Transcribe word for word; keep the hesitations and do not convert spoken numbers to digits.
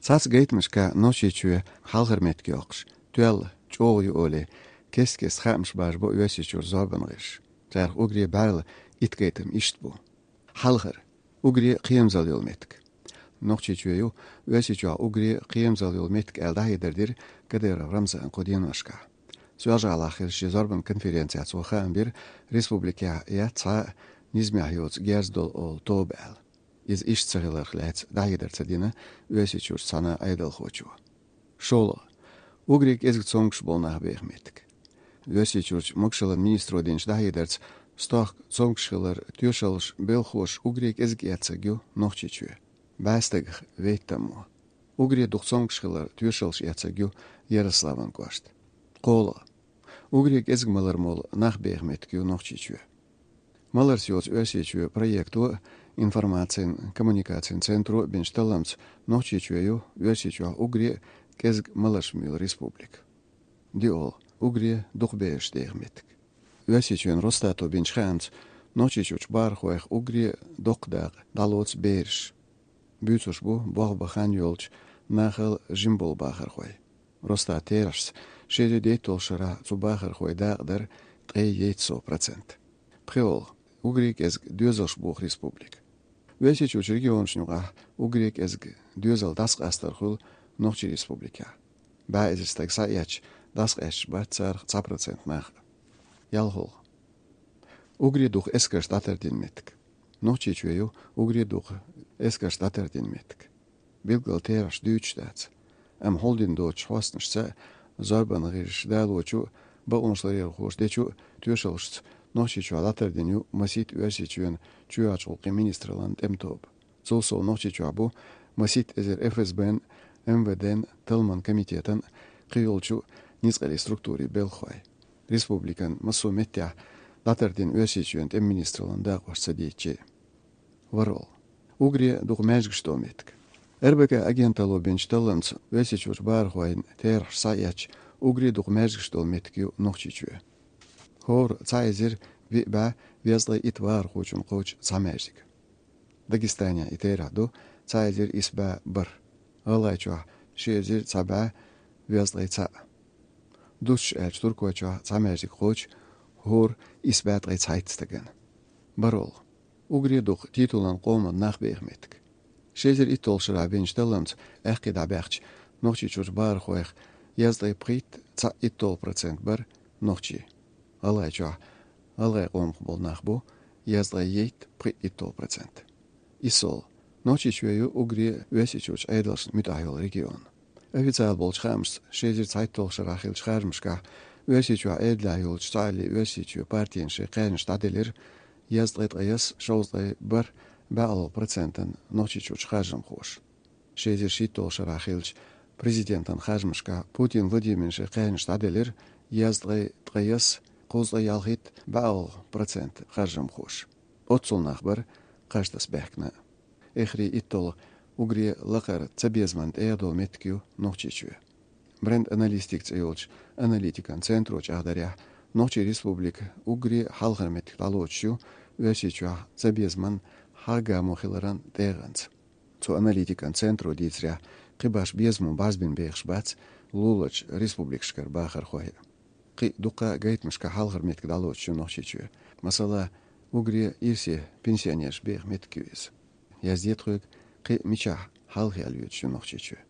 Цхьацца гайтамашка Нохчийчоь хьалхара меттиг йоаккхаш, тоьлла чӀоагӀа ю олий, кест-кеста хаамаш бажа бу Оьрсийчуьра зорбан гӀирсаша. Царах уггаре бӀаьрла итт гайтам иштта бу. Хьалхара. Уггаре кхерамзалла йола меттиг. Нохчийчоь ю Оьрсийчохь уггаре кхерамзалла йола меттиг аьлла дӀахьедар дира Кадыров Рамзана кху деношкахь. Соьлжа-ГӀалахь хиллачу шен зорбан конференцехь цо хаам бира, республикехь яц цхьа а низамехь йоцу герз долу олу тоба аьлла. Иза иштта ца хиларх лаьцна дӀахьедар ца дина Оьрсийчуьрчу цхьана Ӏедалхочо. ШолгӀа. Уггаре кӀезиг цомгуш болу нах беха меттиг. Оьрсийчуьрчу могушаллин министро динчу дӀахьедарца, стохка цомгуш хилар тоьшаллаш белхош уггаре кӀезиг эцнарг ю Нохчийчоь. БӀе стагах вейтта мо. Уггаре дукха цомгуш хилар тоьшаллаш эцнарг ю Ярославан кӀошт. КхоалгӀа. Уггаре кӀезиг малар молу нах беха меттиг ю Нохчийчоь. Маларца йоцу Оьрсийчоь проекто а, информацин, коммуникацин центро а бинчу талламца Нохчийчоь ю Оьрсийчохь уггаре а кӀезиг маларш муьйлу республика. ДиъолгӀа. Уггаре дукха бераш деха меттиг. Оьрсийчоьнан Росстато бинчу хаамца, Нохчийчуьрчу бахархойх уггаре доккха дакъа дӀалоцу бераш. Буьйцуш бу болх бан хан йолчу нахал жима болу бахархой. Росстатан терахьашца, ши эзар дейтталгӀачу шарахь цу бахархойн дакъа дара ткъе ейтта сов процент. ПхоьалгӀа. Уггаре кӀезиг доьзалш боху республика. Оьрсийчуьрчу регионашна юкъахь уггаре кӀезиг доьзал дӀасакъастар хуьлу Нохчийн республикехь. БӀе эзар стаг схьаэцча, дӀасакъаьсташ бац царах цхьа процент нах а. ЯлхолгӀа. Уггаре дукха эскарш дӀатардина меттиг. Нохчийчоь ю уггаре дукха эскарш дӀатардина меттиг. Билггал терахьаш дуьйцуш дац. Амма хьулдина доцучу хьостанашца, зорбан гӀирсаша далочу а, бакъонашларъярхоша дечу а тоьшаллашца Нохчийчохь дӀатардина ю масийтта Оьрсийчоьнан чоьхьарчу гӀуллакхийн министраллин тӀеман тоба. Цул сов Нохчийчохь бу масийтта эзар ФСБ-н, МВД-н, талламан комитетан, кхийолчу ницкъаллин структурийн белхахой. Республикан массо а меттехь дӀатардина Оьрсийчоьнан тӀеман министраллин дакъош ца дийцича а. ВорхӀалгӀа. Уггаре дукха маьждигаш долу меттиг. РБК агенталло бинчу талламца, Оьрсийчуьрчу бахархойн терахьаш схьаэцча, уггаре дукха маьждигаш долу меттиг ю Нохчийчоь. ХӀора цхьа эзар виъ бӀе везткъе итт бахархочунна кхочу цхьа маьждиг. Дагестанехь и терахь ду цхьа эзар исс бӀе бархӀ, ГӀалгӀайчохь ши эзар цхьа бӀе везткъе цхьаъ. Дусташ аьлча, Туркойчохь цхьа маьждиг кхочу хӀора исс бӀе ткъе цхьайтта стагана. БархӀалгӀа. Уггаре дукха титулан къоман нах беха меттиг. Ши эзар итталгӀачу шарахь бинчу талламца аьккхий дӀабаьхча, Нохчийчуьрчу бахархойх езткъе пхийтта цхьаъ итталгӀа процент бара нохчий. ГӀалгӀайчохь гӀалгӀайн къомах болу нах бу езткъе ейтта пхиъ итталгӀа процент. ИссолгӀа. Нохчийчоь ю уггаре Оьрсийчуьрчу Ӏедалшна муьтӀахь йолу регион. Официал болчу хаамашца, ши эзар цхьайтталгӀачу шарахь хиллачу харжамашкахь Оьрсийчохь Ӏедалехь йолчу Цхьааллин Оьрсийчоь партийна шайн кхаьжнаш дӀаделира езткъе ткъайесна, шовзткъе бархӀ бӀаьалгӀа процентана Нохчийчуьрчу харжамхоша. Ши эзар шийтталгӀачу шарахь хиллачу президентан харжамашкахь Путин Владимирна шайн кхаьжнаш дӀаделира езткъе ткъайесна, кхузткъе ялхитта бӀаьалгӀа процент харжамхоша. Оццул нах бара кхаж таса баьхкина. Эхарий итталгӀа уггаре лакхара цабезаман тӀегӀа долу меттиг ю Нохчийчоь. Бренд-аналистика цӀе йолчу аналитикан центро чӀагӀдарехь, Нохчийн республика уггаре хьалхара меттиг дӀалоцуш ю Оьрсийчохь цабезаман хьагӀ-гамо хиларан тӀегӀанца. Цу аналитикан центро дийцарехь, кхин башха безамо бӀарзбина бехаш бац луларчу республикашкара бахархой. Кхин дуккха а гайтамашкахь хьалхара меттиг дӀалоцуш ю Нохчийчоь. Масала, уггаре ирсе пенсионераш беха меттиг ю иза. Яздо тхоьга, кхин мичахь хьалхе аьлла йоьдуш ю Нохчийчоь.